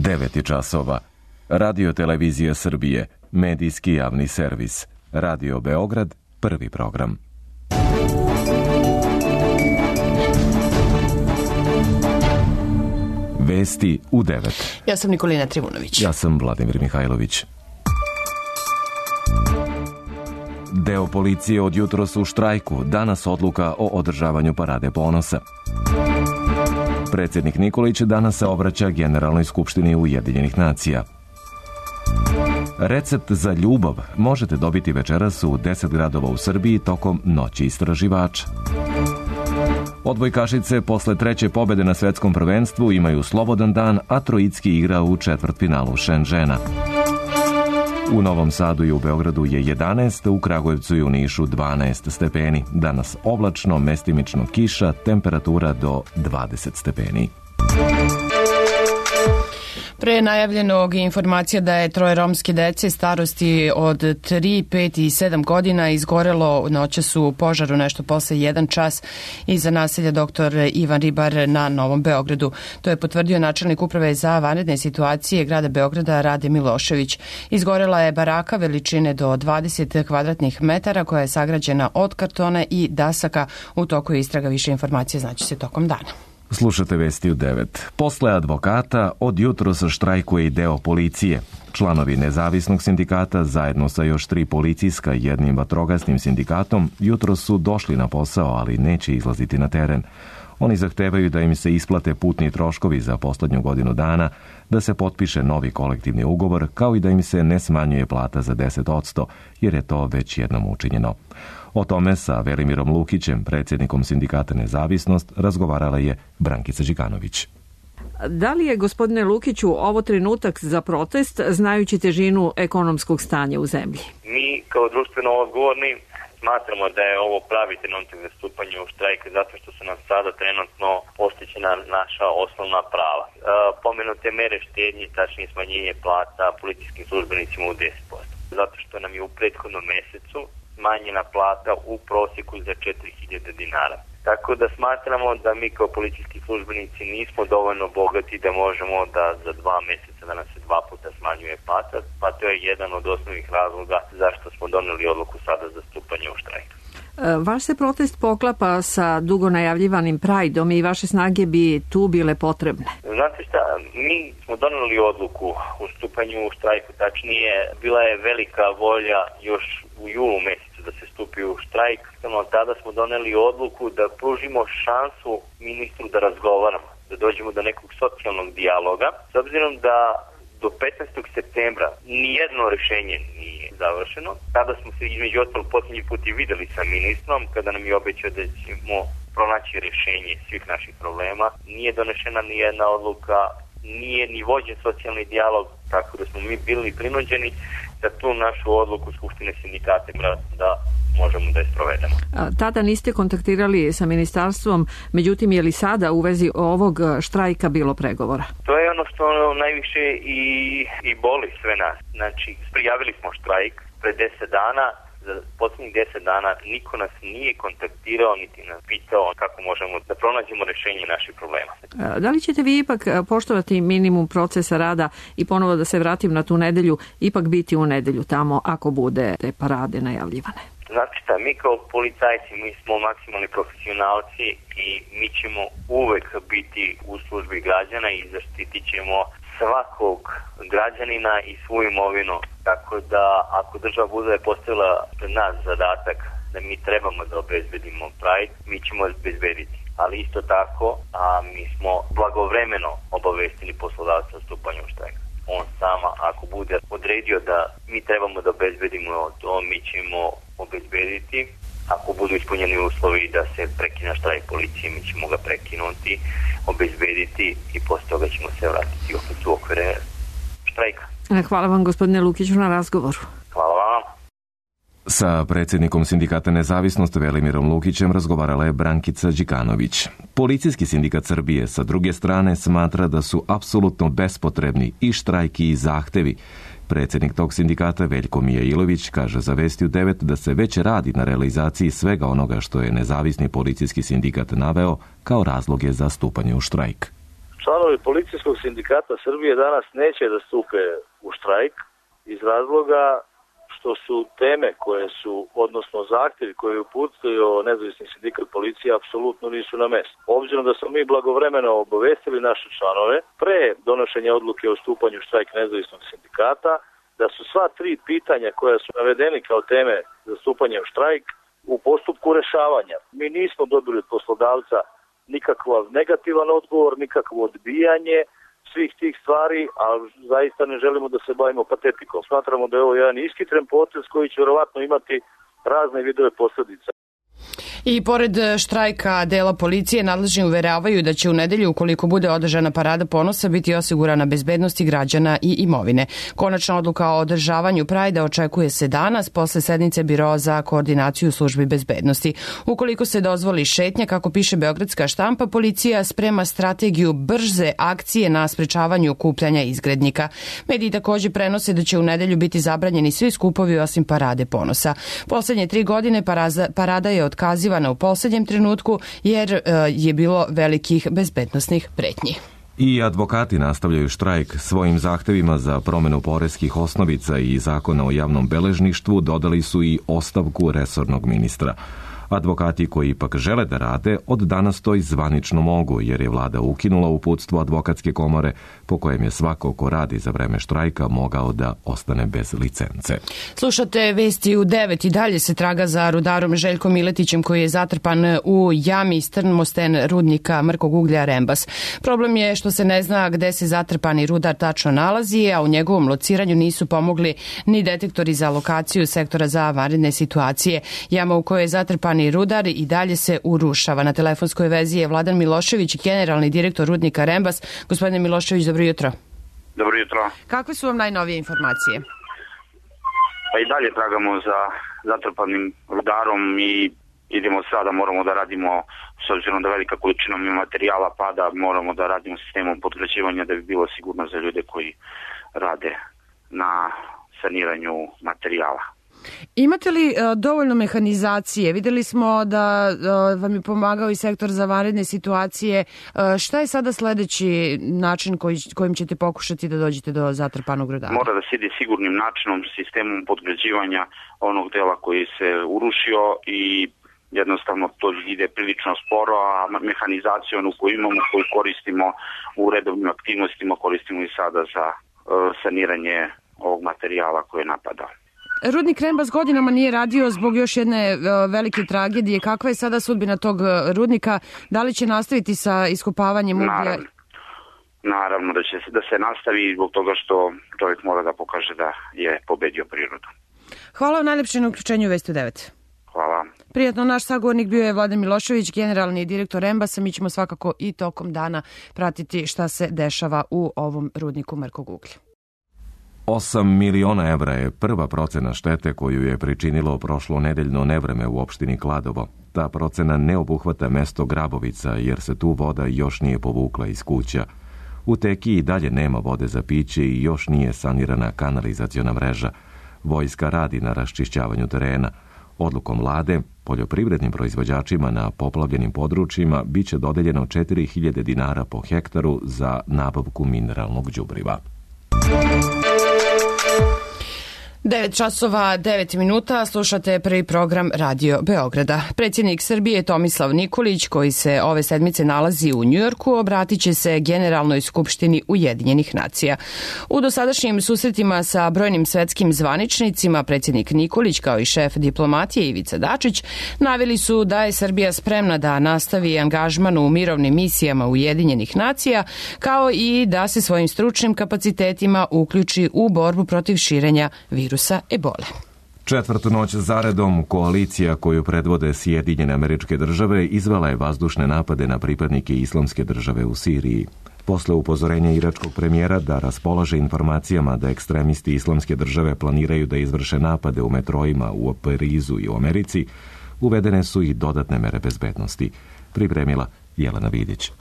9 časova. Radio Televizija Srbije, medijski javni servis. Radio Beograd, prvi program. Vesti u 9. Ja sam Nikolina Trivunović. Ja sam Vladimir Mihajlović. Deo policije od jutros u štrajku, danas odluka o održavanju Parade ponosa. Predsjednik Nikolić danas se obraća Generalnoj skupštini Ujedinjenih nacija. Recept za ljubav možete dobiti večeras u 10 gradova u Srbiji tokom Noći istraživača. Odbojkašice posle treće pobjede na svetskom prvenstvu imaju slobodan dan, a Trojicki igra u četvrtfinalu Šenžena. U Novom Sadu i u Beogradu je 11, u Kragujevcu i u Nišu 12 stepeni. Danas oblačno, mestimično kiša, temperatura do 20 stepeni. Pre najavljenog informacija da je 3 romske dece starosti od 3, 5 i 7 godina izgorelo noćas u požaru nešto posle 1 čas iza naselja dr. Ivan Ribar na Novom Beogradu. To je potvrdio načelnik uprave za vanredne situacije grada Beograda Rade Milošević. Izgorela je baraka veličine do 20 kvadratnih metara koja je sagrađena od kartona i dasaka. U toku istraga, više informacije znaće se tokom dana. Slušate vesti u 9. Posle advokata od jutros štrajkuje i deo policije. Članovi nezavisnog sindikata zajedno sa još 3 policijska i 1 vatrogasnim sindikatom jutros su došli na posao, ali neće izlaziti na teren. Oni zahtevaju da im se isplate putni troškovi za poslednju godinu dana, da se potpiše novi kolektivni ugovor, kao i da im se ne smanjuje plata za 10%, jer je to već jednom učinjeno. O tome sa Velimirom Lukićem, predsjednikom sindikata Nezavisnost, razgovarala je Brankica Đikanović. Da li je, gospodine Lukiću, ovo trenutak za protest, znajući težinu ekonomskog stanja u zemlji? Mi kao društveno odgovorni smatramo da je ovo pravi trenutak za stupanje u štrajk, zato što su nam sada trenutno postićena naša osnovna prava. Pomenute mere štednje, tačnije smanjenje plata policijskim službenicima u 10%. Zato što nam je u prethodnom mesecu smanjena plata u prosjeku za 4.000 dinara. Tako da smatramo da mi kao policijski službenici nismo dovoljno bogati da možemo da za 2 mjeseca da nam se 2 puta smanjuje plata, pa to je jedan od osnovnih razloga zašto smo doneli odluku sada za stupanje u štrajk. Vaš se protest poklapa sa dugo najavljivanim Prideom i vaše snage bi tu bile potrebne. Znate šta, mi smo doneli odluku u stupanju u štrajku, tačnije bila je velika volja još u julu mjesecu da se stupi u štrajk. Tada smo doneli odluku da pružimo šansu ministru da razgovaramo, da dođemo do nekog socijalnog dijaloga. S obzirom da do 15. septembra nijedno rješenje nije završeno. Tada smo se između ostalog posljednji put i videli sa ministrom kada nam je obećao da ćemo pronaći rješenje svih naših problema. Nije donešena ni jedna odluka, nije ni vođen socijalni dijalog, tako da smo mi bili prinuđeni da tu našu odluku Skupštine sindikata da možemo da je sprovedemo. Tada niste kontaktirali sa ministarstvom, međutim je li sada u vezi ovog štrajka bilo pregovora? To je ono što najviše i boli sve nas. Znači, prijavili smo štrajk pre 10 dana, za posljednjih 10 dana niko nas nije kontaktirao niti nas pitao kako možemo da pronađemo rješenje naših problema. Da li ćete vi ipak poštovati minimum procesa rada i ponovo da se vratim na tu nedelju, ipak biti u nedelju tamo ako bude te parade najavljivane? Znate šta, mi kao policajci, mi smo maksimalni profesionalci i mi ćemo uvek biti u službi građana i zaštitit ćemo svakog građanina i svu imovinu. Tako da ako država bude postavila pred nas zadatak da mi trebamo da obezbedimo Pride, mi ćemo obezbediti. Ali isto tako, mi smo blagovremeno obavestili poslodavca o stupanju u štrajk. On sama, ako bude odredio da mi trebamo da obezbedimo to, mi ćemo obezbediti. Ako budu ispunjeni uslovi da se prekine štrajk policije, mi ćemo ga prekinuti, obezbediti i posle toga ćemo se vratiti opet u okvire štrajka. Hvala vam, gospodine Lukiću, na razgovoru. Hvala vam. Sa predsjednikom sindikata Nezavisnost Velimirom Lukićem razgovarala je Brankica Đikanović. Policijski sindikat Srbije sa druge strane smatra da su apsolutno bespotrebni i štrajki i zahtevi. Predsjednik tog sindikata Veljko Mijailović kaže za Vesti u 9 da se već radi na realizaciji svega onoga što je nezavisni policijski sindikat naveo kao razloge za stupanje u štrajk. Članovi Policijskog sindikata Srbije danas neće da stupe u štrajk iz razloga što su teme koje su, odnosno zahtjevi koje je uputio nezavisni sindikat policije, apsolutno nisu na mestu. Obzirom da smo mi blagovremeno obavestili naše članove pre donošenja odluke o stupanju u štrajk nezavisnog sindikata, da su sva tri pitanja koja su navedeni kao teme za stupanje u štrajk u postupku rešavanja. Mi nismo dobili od poslodavca nikakav negativan odgovor, nikakvo odbijanje svih tih stvari, a zaista ne želimo da se bavimo patetikom. Smatramo da je ovo jedan iskitren potez koji će vjerovatno imati razne vidove posljedica. I pored štrajka dela policije, nadležni uveravaju da će u nedelju, ukoliko bude održana parada ponosa, biti osigurana bezbednosti građana i imovine. Konačna odluka o održavanju Prajda očekuje se danas posle sednice Biroa za koordinaciju službi bezbednosti. Ukoliko se dozvoli šetnja, kako piše beogradska štampa, policija sprema strategiju brze akcije na sprečavanju okupljanja izgrednika. Mediji takođe prenose da će u nedelju biti zabranjeni svi skupovi osim parade ponosa. Poslednje 3 godine parada je otkazivana u poslednjem trenutku jer je bilo velikih bezbednosnih pretnji. I advokati nastavljaju štrajk. Svojim zahtevima za promenu poreskih osnovica i zakona o javnom beležništvu dodali su i ostavku resornog ministra. Advokati koji ipak žele da rade, od danas to i zvanično mogu, jer je vlada ukinula uputstvo advokatske komore po kojem je svako ko radi za vreme štrajka mogao da ostane bez licence. Slušate vesti u 9 i dalje se traga za rudarom Željkom Miletićem koji je zatrpan u jami strmosten rudnika mrkog uglja Rembas. Problem je što se ne zna gde se zatrpani rudar tačno nalazi, a u njegovom lociranju nisu pomogli ni detektori za lokaciju sektora za vanredne situacije. Jama u kojoj je zatrpani rudar i dalje se urušava. Na telefonskoj vezi je Vladan Milošević, generalni direktor rudnika Rembas. Gospodine Milošević, dobro jutro. Dobro jutro. Kakve su vam najnovije informacije? Pa i dalje tragamo za zatrpanim rudarom i idemo sada, moramo da radimo, s obzirom da velika količina materijala pada, moramo da radimo sistemom podgrađivanja da bi bilo sigurno za ljude koji rade na saniranju materijala. Imate li dovoljno mehanizacije? Videli smo da vam je pomagao i sektor za vanredne situacije. Šta je sada sledeći način kojim ćete pokušati da dođete do zatrpanog rudara? Mora da se ide sigurnim načinom, sistemom podgrađivanja onog dela koji se urušio i jednostavno to ide prilično sporo, a mehanizaciju onu koju imamo, koju koristimo u redovnim aktivnostima, koristimo i sada za saniranje ovog materijala koji je napadao. Rudnik Rembas godinama nije radio zbog još jedne velike tragedije. Kakva je sada sudbina tog rudnika? Da li će nastaviti sa iskopavanjem uglja? Naravno da se nastavi zbog toga što čovjek mora da pokaže da je pobedio prirodu. Hvala vam najlepše na uključenju Vesti u 9. Hvala. Prijatno, naš sagovornik bio je Vladan Milošević, generalni direktor Rembasa. Mi ćemo svakako i tokom dana pratiti šta se dešava u ovom rudniku mrkog uglja. 8 miliona evra je prva procena štete koju je pričinilo prošlo nedeljno nevreme u opštini Kladovo. Ta procena ne obuhvata mesto Grabovica jer se tu voda još nije povukla iz kuća. U teki i dalje nema vode za piće i još nije sanirana kanalizaciona mreža. Vojska radi na raščišćavanju terena. Odlukom vlade, poljoprivrednim proizvođačima na poplavljenim područjima biće dodeljeno 4.000 dinara po hektaru za nabavku mineralnog đubriva. 9 časova, 9 minuta, slušate prvi program Radio Beograda. Predsjednik Srbije Tomislav Nikolić, koji se ove sedmice nalazi u Njujorku, obratit će se Generalnoj skupštini Ujedinjenih nacija. U dosadašnjim susretima sa brojnim svetskim zvaničnicima, predsjednik Nikolić, kao i šef diplomatije Ivica Dačić, naveli su da je Srbija spremna da nastavi angažman u mirovnim misijama Ujedinjenih nacija, kao i da se svojim stručnim kapacitetima uključi u borbu protiv širenja virusa ebole. Četvrtu noć zaredom koalicija koju predvode Sjedinjene Američke Države izvela je vazdušne napade na pripadnike Islamske države u Siriji. Posle upozorenja iračkog premijera da raspolaže informacijama da ekstremisti Islamske države planiraju da izvrše napade u metrojima u Parizu i u Americi, uvedene su i dodatne mere bezbednosti. Pripremila Jelena Vidić.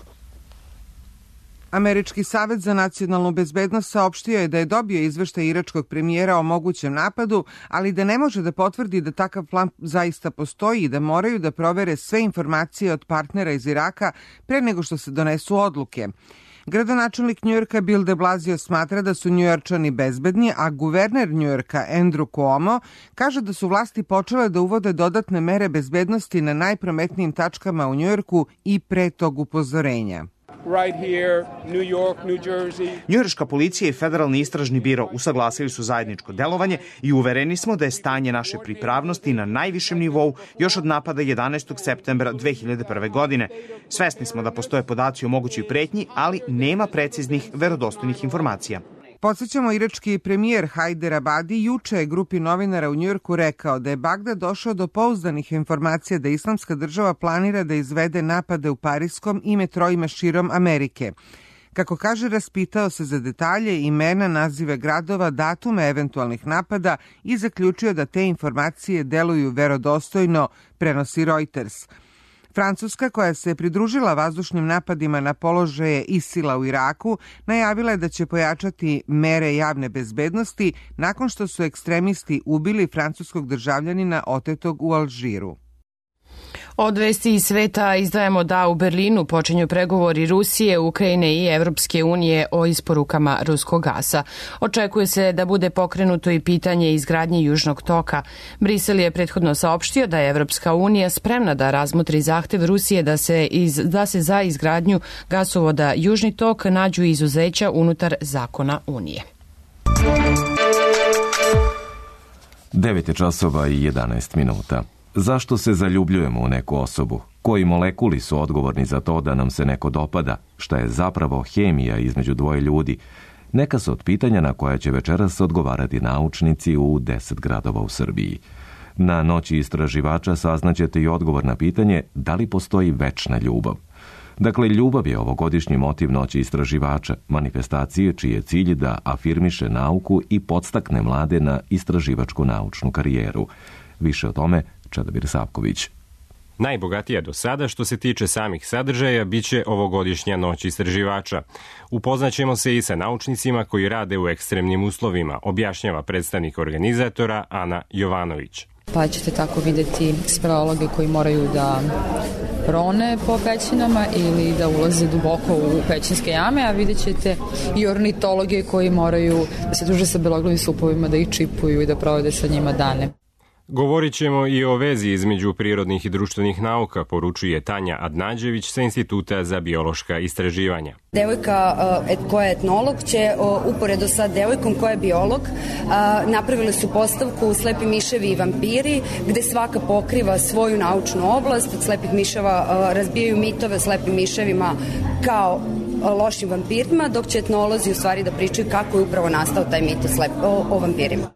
Američki savet za nacionalnu bezbednost saopštio je da je dobio izveštaj iračkog premijera o mogućem napadu, ali da ne može da potvrdi da takav plan zaista postoji i da moraju da provere sve informacije od partnera iz Iraka pre nego što se donesu odluke. Gradonačelnik Njujorka Bill de Blasio smatra da su Njujorčani bezbedni, a guverner Njujorka Andrew Cuomo kaže da su vlasti počele da uvode dodatne mere bezbednosti na najprometnijim tačkama u Njujorku i pre tog upozorenja. Right here, New York, New Jersey. Njujorška policija i Federalni istražni biro usaglasili su zajedničko delovanje i uvereni smo da je stanje naše pripravnosti na najvišem nivou još od napada 11. septembra 2001. godine. Svesni smo da postoje podaci o mogućoj pretnji, ali nema preciznih, verodostojnih informacija. Podsjećamo, irački premijer Hajder Abadi juče je grupi novinara u Njujorku rekao da je Bagdad došao do pouzdanih informacija da Islamska država planira da izvede napade u Pariskom i metroima širom Amerike. Kako kaže, raspitao se za detalje, imena, nazive gradova, datume eventualnih napada i zaključio da te informacije deluju verodostojno, prenosi Reuters. Francuska, koja se pridružila vazdušnim napadima na položaje ISIL-a u Iraku, najavila je da će pojačati mere javne bezbednosti nakon što su ekstremisti ubili francuskog državljanina otetog u Alžiru. Od vesti iz sveta izdajemo da u Berlinu počinju pregovori Rusije, Ukrajine i Evropske unije o isporukama ruskog gasa. Očekuje se da bude pokrenuto i pitanje izgradnje Južnog toka. Brisel je prethodno saopštio da je Evropska unija spremna da razmotri zahtev Rusije da se za izgradnju gasovoda Južni tok nađu izuzeća unutar zakona Unije. 9 časova i 11 minuta. Zašto se zaljubljujemo u neku osobu? Koji molekuli su odgovorni za to da nam se neko dopada? Šta je zapravo hemija između dvoje ljudi? Neka su od pitanja na koja će večeras odgovarati naučnici u 10 gradova u Srbiji. Na noći istraživača saznaćete i odgovor na pitanje da li postoji večna ljubav. Dakle, ljubav je ovogodišnji motiv noći istraživača, manifestacije čiji je cilj da afirmiše nauku i podstakne mlade na istraživačku naučnu karijeru. Više o tome Čedomir Savković. Najbogatija do sada što se tiče samih sadržaja biće ovogodišnja noć istraživača. Upoznaćemo se i sa naučnicima koji rade u ekstremnim uslovima, objašnjava predstavnik organizatora Ana Jovanović. Pa ćete tako vidjeti speleologe koji moraju da rone po pećinama ili da ulaze duboko u pećinske jame, a vidjet ćete i ornitologe koji moraju da se druže sa beloglavim supovima, da ih čipuju i da provode sa njima dane. Govorit ćemo i o vezi između prirodnih i društvenih nauka, poručuje Tanja Adnađević sa Instituta za biološka istraživanja. Devojka koja je etnolog će uporedo sa devojkom koja je biolog napravili su postavku Slepi miševi i vampiri, gde svaka pokriva svoju naučnu oblast. Od slepih miševa razbijaju mitove o slepim miševima kao lošim vampirima, dok će etnolozi u stvari da pričaju kako je upravo nastao taj mit o vampirima.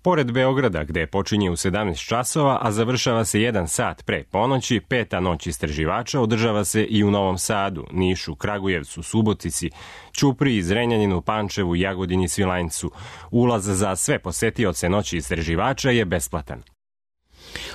Pored Beograda, gde počinje u 17 časova, a završava se 1 sat pre ponoći, 5. noć istraživača održava se i u Novom Sadu, Nišu, Kragujevcu, Subotici, Ćupriji, Zrenjaninu, Pančevu, Jagodini, Svilajncu. Ulaz za sve posetioce noći istraživača je besplatan.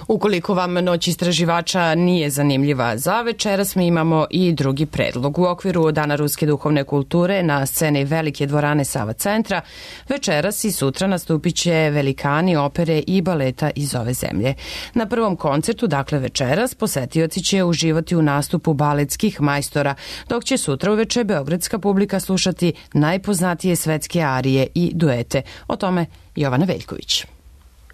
Ukoliko vam noć istraživača nije zanimljiva za večeras, mi imamo i drugi predlog. U okviru Dana ruske duhovne kulture na sceni Velike dvorane Sava centra večeras i sutra nastupit će velikani opere i baleta iz ove zemlje. Na prvom koncertu, dakle večeras, posetioci će uživati u nastupu baletskih majstora, dok će sutra uveče beogradska publika slušati najpoznatije svetske arije i duete. O tome Jovana Veljković.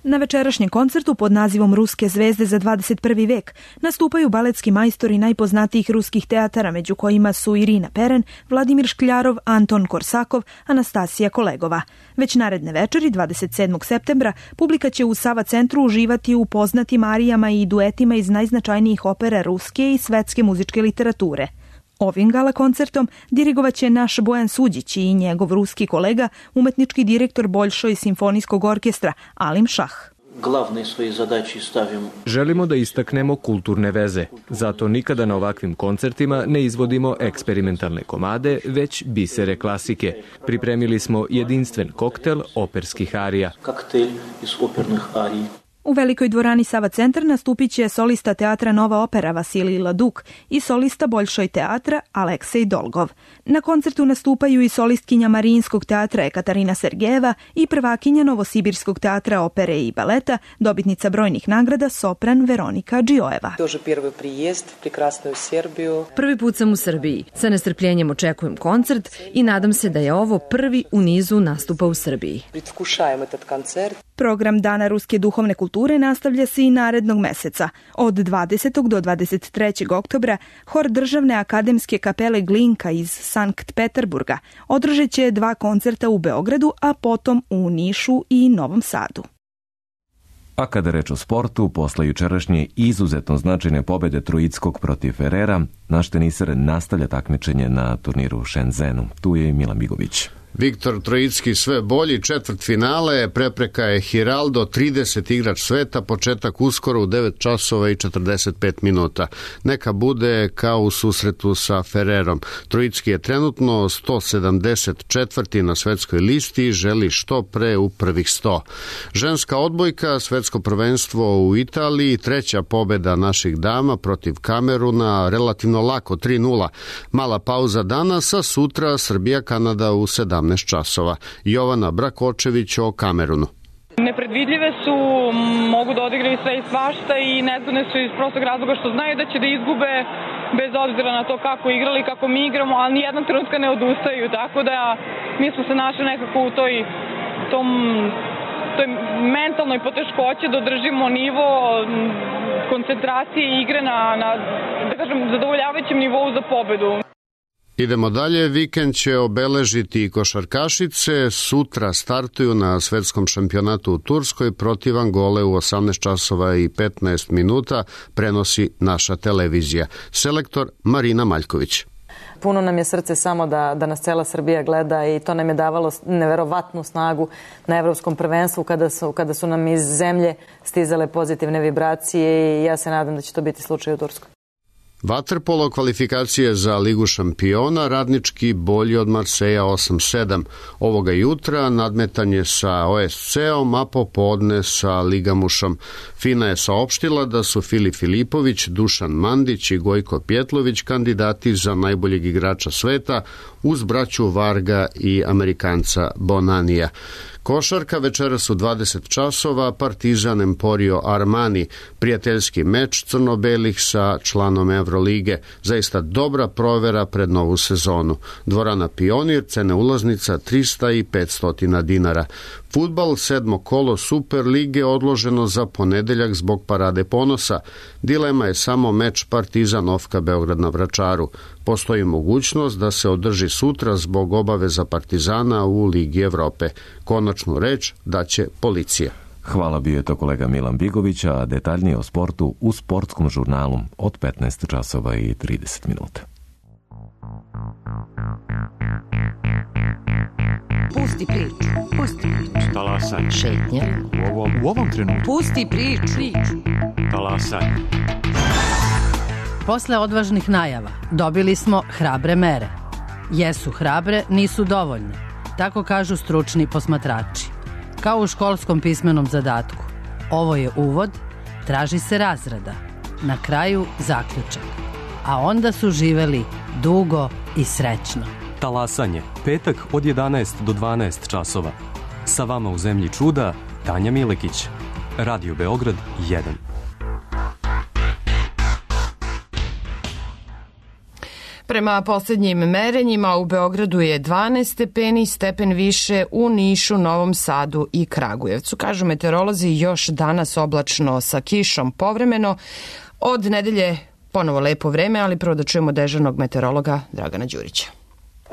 Na večerašnjem koncertu pod nazivom Ruske zvezde za 21. vek nastupaju baletski majstori najpoznatijih ruskih teatara, među kojima su Irina Peren, Vladimir Škljarov, Anton Korsakov, Anastasija Kolegova. Već naredne večeri, 27. septembra, publika će u Sava centru uživati u poznatim arijama i duetima iz najznačajnijih opera ruske i svetske muzičke literature. Ovim gala koncertom dirigovaće naš Bojan Suđić i njegov ruski kolega, umetnički direktor Boljšoj simfonijskog orkestra Alim Šah. Želimo da istaknemo kulturne veze, zato nikada na ovakvim koncertima ne izvodimo eksperimentalne komade, već bisere klasike. Pripremili smo jedinstven koktel operskih arija. U velikoj dvorani Sava centar nastupit će solista teatra Nova opera Vasilij Laduk i solista Boljšoj teatra Aleksej Dolgov. Na koncertu nastupaju i solistkinja Marijinskog teatra Ekaterina Sergejeva i prvakinja Novosibirskog teatra opere i baleta, dobitnica brojnih nagrada sopran Veronika Džiojeva. Prvi put sam u Srbiji. Sa nestrpljenjem očekujem koncert i nadam se da je ovo prvi u nizu nastupa u Srbiji. Program Dana ruske duhovne kulture nastavlja se i narednog meseca. Od 20. do 23. oktobra hor Državne akademske kapele Glinka iz Sankt Peterburga održat će 2 koncerta u Beogradu, a potom u Nišu i Novom Sadu. A kada je reč o sportu, posle jučerašnje izuzetno značajne pobede Trojickog protiv Ferrera, naš teniser nastavlja takmičenje na turniru u Shenzhenu. Tu je i Milan Bigović. Viktor Trojicki sve bolji, četvrtfinale, prepreka je Hiraldo, 30 igrač sveta, početak uskoro u 9 časova i 45 minuta. Neka bude kao u susretu sa Ferrerom. Trojicki je trenutno 174. na svetskoj listi i želi što pre u prvih 100. Ženska odbojka, svetsko prvenstvo u Italiji, 3. pobeda naših dama protiv Kameruna, relativno lako, 3-0. Mala pauza danas, a sutra Srbija-Kanada u 17 časova. Jovana Brakočević o Kamerunu. Nepredvidljive su, mogu da odigraju sve i svašta i nezgodne su iz prostog razloga što znaju da će da izgube bez obzira na to kako igrali, kako mi igramo, ali nijednog trenutka ne odustaju, tako da mi smo se našli nekako u toj mentalnoj poteškoći da održimo nivo koncentracije i igre na da kažem, zadovoljavajućem nivou za pobedu. Idemo dalje, vikend će obeležiti i košarkašice, sutra startuju na svetskom šampionatu u Turskoj protiv Angole u 18 časova i 15 minuta, prenosi naša televizija. Selektor Marina Maljković. Puno nam je srce samo da nas cela Srbija gleda i to nam je davalo neverovatnu snagu na evropskom prvenstvu kada su nam iz zemlje stizale pozitivne vibracije i ja se nadam da će to biti slučaj u Turskoj. Vaterpolo kvalifikacije za Ligu šampiona, Radnički bolji od Marseja 8-7. Ovoga jutra nadmetanje sa OSC-om, a popodne sa Ligamušom. FINA je saopštila da su Filip Filipović, Dušan Mandić i Gojko Pjetlović kandidati za najboljeg igrača sveta uz braću Varga i Amerikanca Bonanija. Košarka večeras u 20 časova, Partizan Emporio Armani, prijateljski meč crno-belih sa članom Evrolige. Zaista dobra provera pred novu sezonu. Dvorana Pionir, cene ulaznica 300 i 500 dinara. Fudbal, 7. kolo Super lige odloženo za ponedeljak zbog Parade ponosa. Dilema je samo meč Partizan Ofka Beograd na Vračaru. Postoji mogućnost da se održi sutra zbog obaveza Partizana u Ligi Evrope. Konačnu reč daće policija. Hvala, bio je to kolega Milan Bigović, a detaljnije o sportu u sportskom žurnalu od 15 časova i 30 minuta. Pusti priču. Pusti priču. Talasaj. Šetnja. U ovom trenutku. Pusti priču. Talasaj. Posle odvažnih najava dobili smo hrabre mere. Jesu hrabre, nisu dovoljne. Tako kažu stručni posmatrači. Kao u školskom pismenom zadatku. Ovo je uvod, traži se razrada. Na kraju zaključak. A onda su živeli dugo i srećno. Talasanje, petak od 11 do 12 časova. Sa vama u zemlji čuda, Tanja Milekić. Radio Beograd 1. Prema posljednjim merenjima u Beogradu je 12 stepeni, stepen više u Nišu, Novom Sadu i Kragujevcu. Kažu meteorolozi, još danas oblačno sa kišom povremeno. Od nedelje ponovo lepo vreme, ali prvo da čujemo dežurnog meteorologa Dragana Đurića.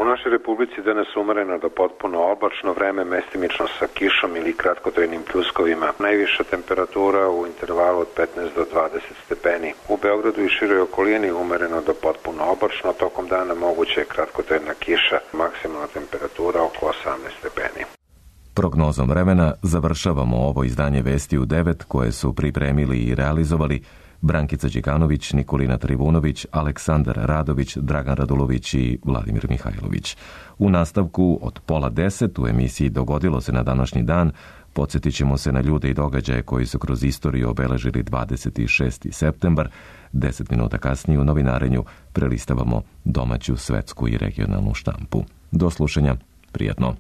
U našoj republici danas umereno do potpuno oblačno vreme, mestimično sa kišom ili kratkotrajnim pljuskovima. Najviša temperatura u intervalu od 15 do 20 stepeni. U Beogradu i široj okolini umereno do potpuno oblačno, tokom dana moguće je kratkotrajna kiša, maksimalna temperatura oko 18 stepeni. Prognozom vremena završavamo ovo izdanje Vesti u 9 koje su pripremili i realizovali Brankica Đikanović, Nikolina Trivunović, Aleksandar Radović, Dragan Radulović i Vladimir Mihajlović. U nastavku od 9:30 u emisiji Dogodilo se na današnji dan Podsjetit ćemo se na ljude i događaje koji su kroz istoriju obeležili 26. septembar. 10 minuta kasnije u novinarenju prelistavamo domaću, svetsku i regionalnu štampu. Do slušanja, prijatno.